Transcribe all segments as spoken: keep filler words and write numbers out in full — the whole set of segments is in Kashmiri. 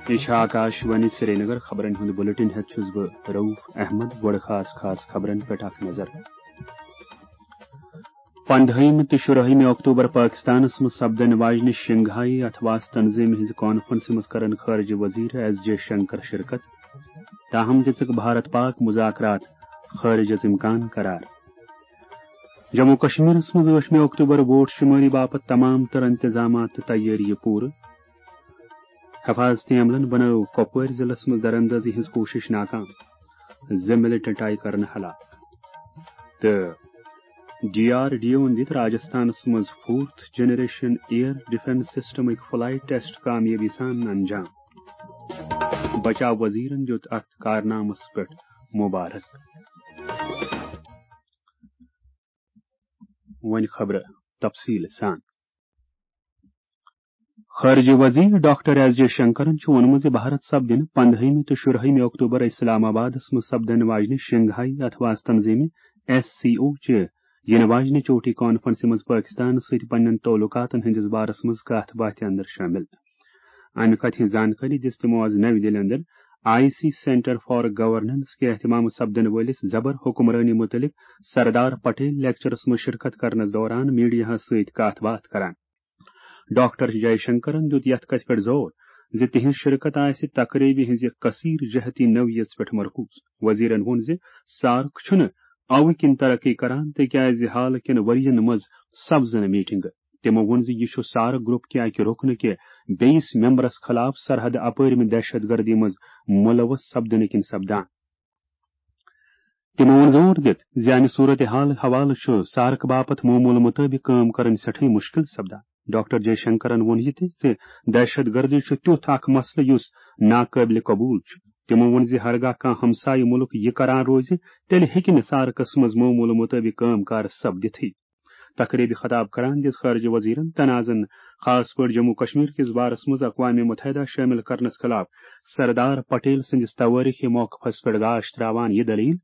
یہِ چھِ آکاش وانی سرینگر۔ خبرن ہُنٛد بلیٹن ہٮ۪تھ چھُس بہٕ رؤف احمد۔ گۄڈٕ خاص خاص خبرن پٮ۪ٹھ اکھ نظر۔ پندہٲیمہِ تہٕ شُرٲہمہِ اکتوبر پٲکِستانَس منٛز سپدن واجنہِ شنگھائی اطواس تنظیمہِ ہٕنٛزِ کانفرنسہِ منٛز کرن خارجہ وزیر ایس جے شنکر شرکت۔ تاہم دِژٕکھ بھارت پاک مذاکرات خارج از امکان قرار۔ جموں کشمیرس منٛز ٲٹھمہِ اکتوبر ووٹ شمٲری باپتھ تمام تر انتظامات تہٕ تیٲری پوٗرٕ۔ حفاظتی عملن بنٲو کۄپوٲرۍ ضلعس منٛز دراندازی ہٕنٛز کوٗشش ناکام، زٕ ملٹنٹ آیہِ کرنہٕ ہلاک۔ تہٕ ڈی آر ڈی اوَن دِتھ راجستھانس منٛز فورتھ جنریشن ایئر ڈیفنس سسٹمٕکۍ فلائٹ ٹیسٹ کامیٲبی سان انجام۔ بچاو وزیرن دیُت اتھ کارنامس پٮ۪ٹھ مبارک۔ وۄنۍ خبرٕ تفصیٖل سان۔ خارجہ وزیر ڈاکٹر ایس جے شنکرن چھُ ووٚنمُت زِ بھارت سپدِ پندہٲیمہِ تہٕ شُرٲہمہِ اکتوبر اسلام آبادس منٛز سپدن واجنہِ شنگھائی اطواس تنظیمہِ، ایس سی او، چہِ یِنہٕ واجنہِ چوٹی کانفرنسہِ منٛز پٲکِستانَس سۭتۍ پننٮ۪ن تعلقاتن ہٕنٛدِس بارس منٛز کتھ باتھِ اندر شٲمِل۔ امہِ کتھِ ہٕنٛز زانکٲری دِژ تِمو آز نَوِ دِلہِ اندر I C centre for governance کہِ اہتمام سپدن وٲلِس زبر حکمرٲنی متعلق سردار پٹیل لیکچرس منٛز شرکت کرنس دوران میڈیاہس سۭتۍ کتھ باتھ کران۔ ڈاکٹر جے شنکرن دیُت یتھ کتھِ پٮ۪ٹھ زور زِ تِہنٛز شرکت آسہِ تقریبہِ ہٕنٛزِ کثیر جہتی نوعیت پٮ۪ٹھ مرکوز۔ وزیرن ووٚن زِ سارک چھُنہٕ اوٕ کِنۍ ترقی کران، تِکیازِ حالہٕ کٮ۪ن ؤرین منٛز سپزٕ نہٕ میٹنگہٕ۔ تِمو ووٚن زِ یہِ چھُ سارک گروپ کہِ اکہِ رُکنہٕ کہِ بیٚیِس ممبرس خلاف سرحد اپٲرِمہِ دہشت گردی منٛز ملوث سپدنہٕ کِنۍ سپدان۔ تِمو ووٚن زور دِتھ زِ امہِ صورتحال حوالہٕ چھُ سارک باپتھ معموٗل مُطٲبِق کٲم کرٕنۍ سٮ۪ٹھٕے مُشکِل سپدان۔ ڈاکٹر جے شنکرن ووٚن یہِ تہِ زِ دہشت گردی چھُ تیُتھ اکھ مسلہٕ یُس ناقٲبلِ قبوٗل چھُ۔ تِمو ووٚن زِ ہرگاہ کانٛہہ ہمسایہِ مُلک یہِ کران روزِ، تیٚلہِ ہیٚکہِ نہٕ سارکس منٛز معموٗل مُطٲبِق کٲم کار سپدِتھٕے۔ تقریبہِ خطاب کران دِژ خارجہ وزیرن تنازن، خاص پٲٹھۍ جموں کشمیر کِس بارس منٛز اقوام متحدہ شٲمِل کرنس خلاف سردار پٹیل سٕنٛدِس توٲریخی موقفس پٮ۪ٹھ گاش تراوان یہِ دٔلیٖل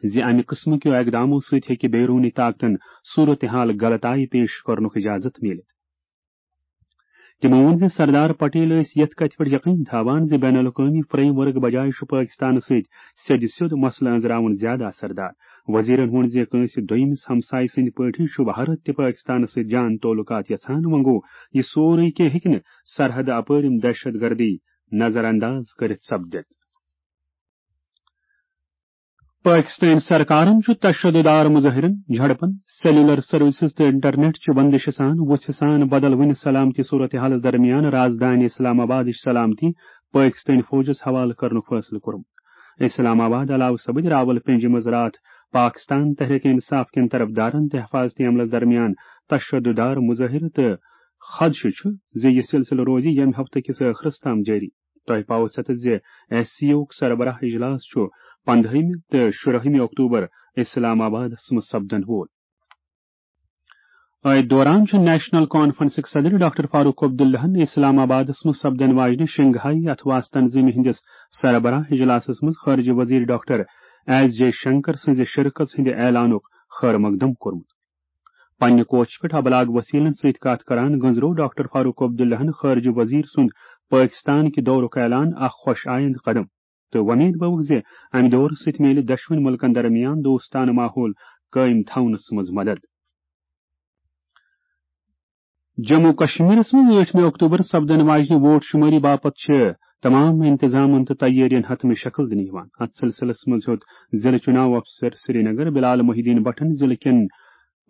زِ امہِ قٕسمہٕ کیو اقدامو سۭتۍ ہیٚکہِ بیروٗنی طاقتن صورتحال غلط آیہِ پیش کرنُک اجازت میٖلِتھ۔ تِمو ووٚن زِ سردار پٹیل ٲسۍ یتھ کتھِ پٮ۪ٹھ یقین تھاوان زِ بین الاقوٲمی فریم ورک بجایہِ چھُ پٲکِستانس سۭتۍ سیٚدِ سیوٚد مسلہٕ أنٛزراوُن زیادٕ اثردار۔ وزیرن ووٚن زِ کٲنٛسہِ دوٚیمِس ہمسایہِ سٕنٛدۍ پٲٹھۍ چھُ بھارت تہِ پٲکِستانس سۭتۍ جان تعلقات یژھان، وۄنۍ گوٚو، یہِ سورُے کینٛہہ ہیٚکہِ نہٕ سرحد اپٲرِم دہشت گردی نظر انداز کٔرِتھ سپدِتھ۔ پٲکِستٲنۍ سرکارن چھُ تشدد آر مظٲہرن، جھڑپن، سیلولر سروسز تہٕ انٹرنیٹ چہِ بندشہِ سان وُژھِ سان بدل وُنہِ سلامتی صورتحالس درمیان رازدانہِ اسلام آبادٕچ سلامتی پٲکِستٲنۍ فوجس حوالہٕ کرنُک فٲصلہٕ کوٚرمُت۔ اسلام آباد علاوٕ سپٕدۍ راول پنجہِ منٛز راتھ پاکستان تحریک انصاف کٮ۪ن طرفدارن تہٕ حفاظتی عملس درمیان تشدد آر مظٲہرٕ تہٕ خدشہٕ چھُ زِ یہِ سلسلہٕ روزِ ییٚمہِ ہفتہٕ کِس ٲخرس تام جٲری۔ تۄہہِ پاوو ستتھ زِ ایس سی اوُک سربراہ اجلاس چھُ پندہٲیمہِ تہٕ شُرٲہمہِ اکتوبر اسلام آبادس منٛز سپدن وول۔ أتھۍ دوران چھُ نیشنل کانفرنسٕکۍ صدر ڈاکٹر فاروق عبداللہن اسلام آبادس منٛز سپدن واجنہِ شنگھائی اطواس تنظیمہِ ہٕنٛدِس سربراہ اجلاسس منٛز خارجہ وزیر ڈاکٹر ایس جے شنکر سٕنٛزِ شرکژ ہٕنٛدِ اعلانُک خیر مقدم کوٚرمُت۔ پننہِ کوچہِ پٮ۪ٹھ ابلاغ وسیلن سۭتۍ کتھ کران گٔنزرو ڈاکٹر فاروق عبداللہن خارجہ وزیر سُنٛد پٲکستان کہِ دورُک اعلان اکھ خۄش آیند قدم تہٕ وۄمید بٲوٕکھ زِ امہِ دورٕ سۭتۍ میلہِ دۄشوٕنی مُلکن درمیان دوستانہٕ ماحول قٲیِم تھاونس منٛز مدد۔ جموں کشمیرس منٛز ٲٹھمہِ اکتوبر سپدن واجنہِ ووٹ شمٲری باپتھ چھِ تمام انتظامن تہٕ تیٲرین حتمی شکل دِنہٕ یِوان۔ اتھ سلسلس منٛز ہیوٚت ضلع چُناو افسر سرینگر بلال محی الدین بٹن ضلع کٮ۪ن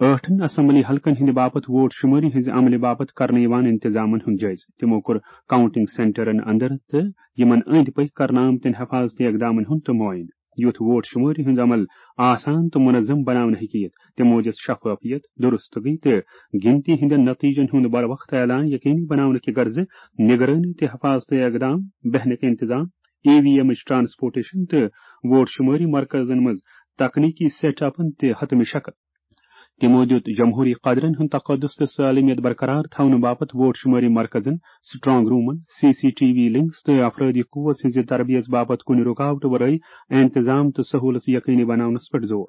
ٲٹھن اسمبلی حلقن ہٕنٛدِ باپتھ ووٹ شمٲری ہٕنٛزِ عملہِ باپتھ کرنہٕ یِوان انتظامن ہُنٛد جٲیزٕ۔ تِمو کوٚر کاؤنٹنگ سینٹرن اندر تہٕ یِمن أنٛدۍ پٔکۍ کرنہٕ آمتٮ۪ن حفاظتی اقدامن ہُنٛد تہٕ معاینہٕ۔ یُتھ ووٹ شمٲری ہُنٛد عمل آسان تہٕ منظم بناونہٕ ہیٚکہِ یِتھ، تِمو دِژ شفافیت، درستگی تہٕ گنتی ہٕنٛدٮ۪ن نتیجن ہُنٛد بروقت اعلان یقینی بناونہٕ کہِ غرضہٕ نگرٲنی تہٕ حفاظتی اقدام، بہنٕکۍ انتظام، ای وی ایمٕچ ٹرانسپورٹیشن تہٕ ووٹ شمٲری مرکزن منٛز تکنیکی سیٹ اپن تہِ حتمی شکل۔ تِمو دِیُت جمہوٗری قدرن ہُنٛد تقدس تہٕ سالمیت برقرار تھاونہٕ باپتھ ووٹ شمٲری مرکزن، سٹرانگ رومن، C C T V links تہٕ افرٲدی قوت ہٕنٛزِ تربیژ باپتھ کُنہِ رُکاوٹہٕ ورٲے انتظام تہٕ سہولژ یقینی بناونس پٮ۪ٹھ زور۔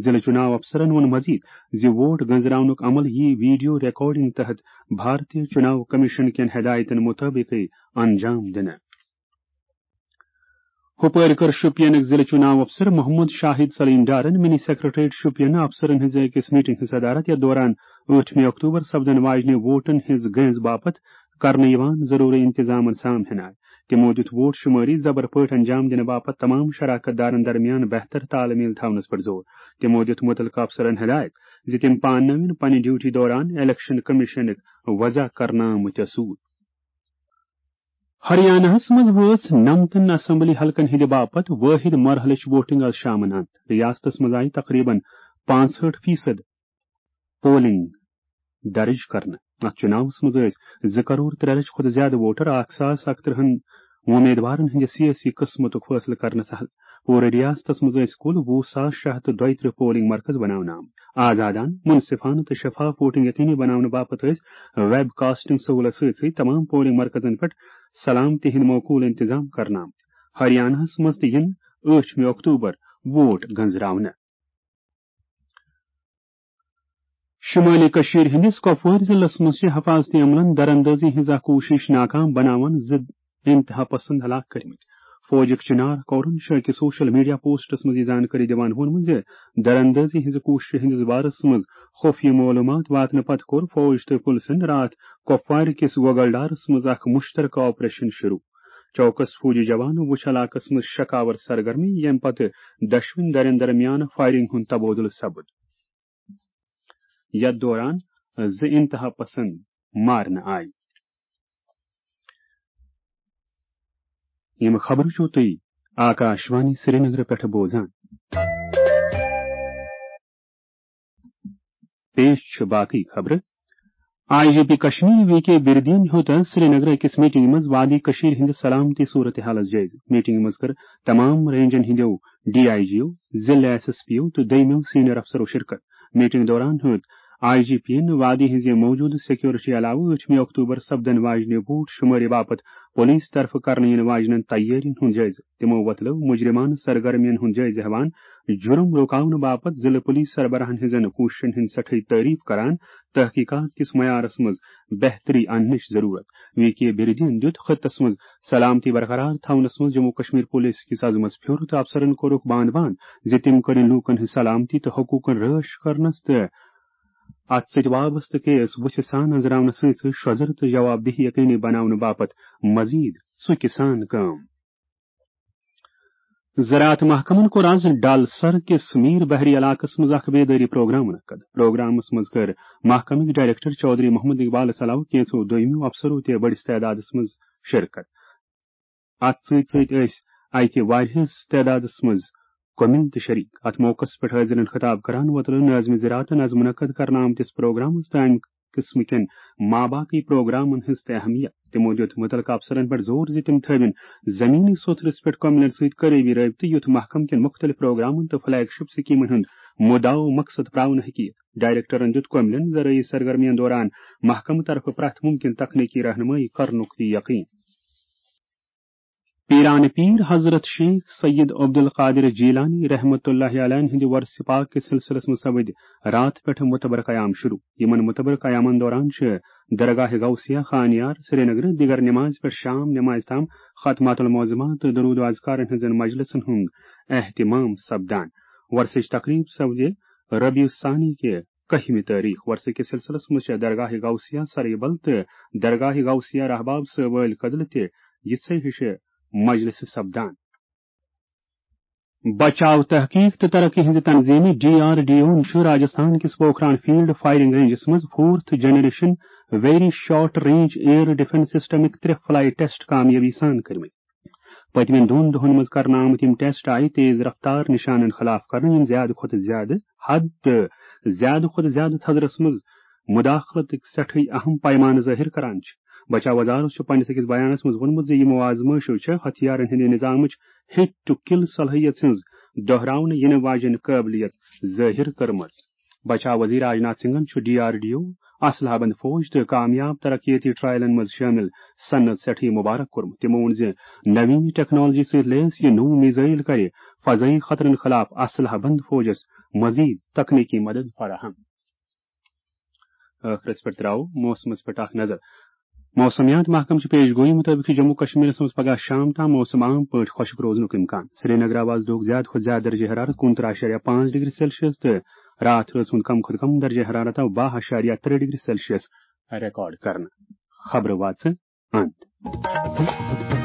ضلع چُناو افسرن ووٚن مزید زِ ووٹ گنزراونُک عمل یِیہِ ویڈیو ریکارڈنگ تحت بھارتیہ چُناو کمیشن کٮ۪ن ہدایتن مُطٲبقٕے انجام دِنہٕ۔ ہُپٲرۍ کٔر شوپینٕکۍ ضلعہٕ چُناو افسر محمد شاہد سلیمدارن منی سیکرٹریٹ شوپین افسرن ہٕنٛزِ أکِس میٹنگ ہٕنٛز صدارت، یتھ دوران ٲٹھمہِ اکتوبر سپدن واجنہِ ووٹن ہٕنٛز گٔنٛز باپتھ کرنہٕ یِوان ضروٗری انتظامن سام ہناے۔ تِمو دِیُت ووٹ شمٲری زبر پٲٹھۍ انجام دِنہٕ باپتھ تمام شراکت دارن درمیان بہتر تال میل تھاونس پٮ۪ٹھ زور۔ تِمو دِیُت مُتعلقہٕ افسرن ہدایت زِ تِم پانہٕ نٲوِن پننہِ ڈیوٹی دوران الیکشن کمیشنٕکۍ وضع کرنہٕ آمٕتۍ اصوٗل۔ ہریاناہس منٛز وٲژ نَمتَن اسمبلی حلقن ہٕنٛدِ باپتھ وٲحد مرحلٕچ ووٹنگ از شامن اند۔ ریاستس منٛز آیہِ تقریباً پانٛژہٲٹھ فیصد پولنگ درج کرنہٕ۔ اتھ چُناوس منٛز ٲسۍ زٕ کرور ترٛےٚ لچھ کھۄتہٕ زیادٕ ووٹر اکھ ساس اکترٕہن وۄمیدوارن ہٕنٛدِ سیٲسی قٕسمتُک فٲصلہٕ کرنس حل۔ پوٗرٕ ریاستس منٛز ٲسۍ کُل وُہ ساس شےٚ ہتھ تہٕ دۄیہِ ترٕٛہ پولنگ مرکز بناونہٕ آمٕتۍ۔ آزادانہٕ، منصفانہٕ تہٕ شفاف ووٹنگ یقینی بناونہٕ باپتھ ٲسۍ ویب کاسٹنگ سہولت سۭتۍ سۭتۍ تمام پولنگ مرکزن پٮ۪ٹھ سلامتی ہٕنٛدۍ معقول انتظام کرنہٕ آمٕتۍ۔ ہریاناہس منٛز تہِ یِن ٲٹھمہِ اکتوبر ووٹ گنزراونہٕ۔ شمٲلی کٔشیٖر ہٕنٛدِس کۄپوٲرۍ ضلعس منٛز چھِ حفاظتی عملن دراندازی ہٕنٛز اکھ کوٗشش ناکام بناوان زٕ انتہا پسند ہلاک کٔرمٕتۍ۔ فوجٕکۍ چنار کورن چھُ أکِس سوشل میڈیا پوسٹس منٛز یہِ زانکٲری دِوان ووٚنمُت زِ دراندازی ہٕنٛزِ کوٗششہِ ہٕنٛدِس بارس منٛز خفیہ معلوٗمات واتنہٕ پتہٕ کوٚر فوج تہٕ پُلسن راتھ کۄپوارِ کِس گوگلڈارس منٛز اکھ مشترکہٕ آپریشن شروع۔ چوکس فوجی جوانو وُچھ علاقس منٛز شکاور سرگرمی، ییٚمہِ پتہٕ دۄشوٕنی دھرٮ۪ن درمیان فائرنگ ہُنٛد تبادلہٕ سپُد۔ یتھ دوران زٕ انتہا پسند مارنہٕ آیہِ۔ یِم خبرٕ چھِو تُہۍ آکاشوانی سرینگرٕ پٮ۪ٹھٕ بوزان۔ پیش چھِ باقٕے خبرٕ۔ I G P Kashmir V K بردین ہیوٚت سرینگرٕ أکِس میٹنگہِ منٛز وادی کشمیر ہٕنٛدِ سلامتی صورتحالس جٲیزٕ۔ میٹنگہِ منٛز کٔر تمام رینجن ہٕنٛدیو ڈی آئی جیو، ضلع ایس ایس پیو تہٕ دوٚیمٮ۪و سینئر افسرو شرکت۔ میٹنگ دوران ہیوٚت آئی جی پی ین وادی ہٕنٛزِ موجودٕ سیکورٹی علاوٕ ٲٹھمہِ اکتوبر سپدن واجنہِ ووٹ شمٲری باپتھ پولیس طرفہٕ کرنہٕ یِنہٕ واجنٮ۪ن تیٲرین ہُنٛد جٲیزٕ۔ تِمو وۄتلٲو مجرمانہٕ سرگرمین ہُنٛد جٲیزٕ ہٮ۪وان، جُرم رُکاونہٕ باپتھ ضلعہٕ پولیس سربراہن ہٕنٛزن کوٗششن ہٕنٛز سٮ۪ٹھٕے تعریف کران، تحقیقات کِس معیارس منٛز بہتری اننٕچ ضروٗرت۔ وی کے بردین دِیُت خطس منٛز سلامتی برقرار تھاونس منٛز جموں کشمیر پولیس کِس عزمس پھیُر تہٕ افسرن کوٚرُکھ باند باند زِ تِم کٔرِن لوٗکن ہٕنٛز سلامتی تہٕ حقوٗقن رٲچھ کرنس تہٕ اتھ سۭتۍ وابستہٕ کیس وُژھِ سان أنٛزراونس سۭتۍ سۭتۍ شۄزر تہٕ جواب دہی یقینی بناونہٕ باپتھ مزید ژُکہِ سان کٲم۔ زراعت محکمن کوٚر آز ڈل سر کِس میر بحری علاقس منٛز اکھ بیدٲری پروگرام منعقد۔ پروگرامس منٛز کٔر محکمٕکۍ ڈائریکٹر چودھری محمد اقبالس علاوٕ کینٛژو دوٚیمِیو افسرو تہِ بٔڑِس تعدادس منٛز شرکت۔ اتھ سۭتۍ سۭتۍ ٲسۍ اتہِ واریاہس تعدادس منٛز کۄمِل تہِ شریک۔ اتھ موقعس پٮ۪ٹھ حٲضرن خطاب کران وۄتلٲو ناظمِ زراعتن از منعقد کرنہٕ آمتِس پروگرامس تہٕ امہِ قٕسمہٕ کٮ۪ن ماباقی پروگرامن ہٕنٛز تہِ اہمیت۔ تِمو دِیُت مُتعلقہٕ افسرن پٮ۪ٹھ زور زِ تِم تھٲوِن زمینی سوٚتھرس پٮ۪ٹھ کۄمِلن سۭتۍ قریبی رٲبطہٕ، یُتھ محکمہٕ کٮ۪ن مُختٔلِف پروگرامن تہٕ فلیگ شپ سکیمن ہُنٛد مُدعا و مقصد پراونہٕ ہیٚکہِ یِتھ۔ ڈائریکٹرن دِیُت کۄمِلن زرعی سرگرمین دوران محکمہٕ طرفہٕ پرٛٮ۪تھ مُمکِن تکنیکی رہنمٲیی کرنُک تہِ یقین۔ پیران پیر حضرت شیخ سید عبدالقادر جیلانی رحمت اللہ علیہ ہٕنٛدِ ورثِ پاک کِس سلسلس منٛز سپٕدۍ راتھ پٮ۪ٹھ متبر قیام شروع۔ یِمن متبر قیامن دوران چھِ درگاہ غوثیہ خانیار سرینگرٕ دِگر نمازِ پٮ۪ٹھ شام نمازِ تام ختمات المعظمات تہٕ درود و اذکارن ہٕنٛزن مجلسن ہُنٛد اہتمام سپدان۔ ورثٕچ تقریب سپدِ ربیع الثانی کہِ کٔہمہِ تٲریخ۔ ورثہٕ کِس سلسلس منٛز چھِ درگاہ غوثیہ سریبل تہٕ درگاہ غوثیہ رحباب صٲبٲلۍ کدلہٕ تہِ یِژھے ہِشہِ مجلسہٕ سپدان۔ بچاو تحقیق تہٕ ترقی ہٕنٛزِ تنظیٖمہِ ڈی آر ڈی اوَن چھُ راجستھان کِس پوکھران فیلڈ فائرنگ رینجس منٛز فورتھ جنریشن ویری شارٹ رینج ایئر ڈیفنس سسٹمٕکۍ ترٛےٚ فلائٹ ٹیسٹ کامیٲبی سان کٔرمٕتۍ۔ پٔتمٮ۪ن دۄن دۄہن منٛز کرنہٕ آمٕتۍ یِم ٹیسٹ آیہِ تیز رفتار نشانن خلاف کرنہٕ، یِم زیادٕ کھۄتہٕ زیادٕ حد تہٕ زیادٕ کھۄتہٕ زیادٕ تھزرس منٛز مداخلتٕکۍ سٮ۪ٹھٕے اہم پیمانہٕ ظٲہِر کران چھِ۔ بچاو وزارت چھُ پننِس أکِس بیانس منٛز ووٚنمُت زِ یِمو آزمٲیشو چھےٚ ہتھیارن ہٕنٛدِ نظامٕچ ہٹ ٹو کل صلٲحیت ہٕنٛز دۄہراونہٕ یِنہٕ واجٮ۪ن قٲبلیت ظٲہِر کٔرمٕژ۔ بچاو وزیر راجناتھ سنگھن چھُ ڈی آر ڈی او، اسلحہ بند فوج تہٕ کامیاب ترقیتی ٹرائلن منٛز شٲمِل صنعت سٮ۪ٹھٕے مبارک کوٚرمُت۔ تِمو ووٚن زِ نوین ٹیکنالوجی سۭتۍ لیس یہِ نوٚو میزائل کرِ فضائی خطرن خلاف اسلحہ بند فوجس مزید تکنیکی مدد فراہم۔ ٲخرس پٮ۪ٹھ تراوو موسمس پٮ۪ٹھ اکھ نظر۔ موسمیات محکمہٕ چہِ پیش گویی مُطٲبِق چھُ جموں کشمیرس منٛز پگاہ شام تام موسم عام پٲٹھۍ خۄشک روزنُک امکان۔ سرینگر آواز دۄہُک زیادٕ کھۄتہٕ زیادٕ درجہ حرارت کُنترٕہ اَشاریہ پانٛژھ ڈگری سیلسیس تہٕ راتھ رٲژ ہُنٛد کم کھۄتہٕ کم درجہ حرارت آو باہ اَشاریہ ترٛےٚ ڈگری سیلسیس ریکارڈ کرنہٕ۔ خبرٕ واژٕ اند۔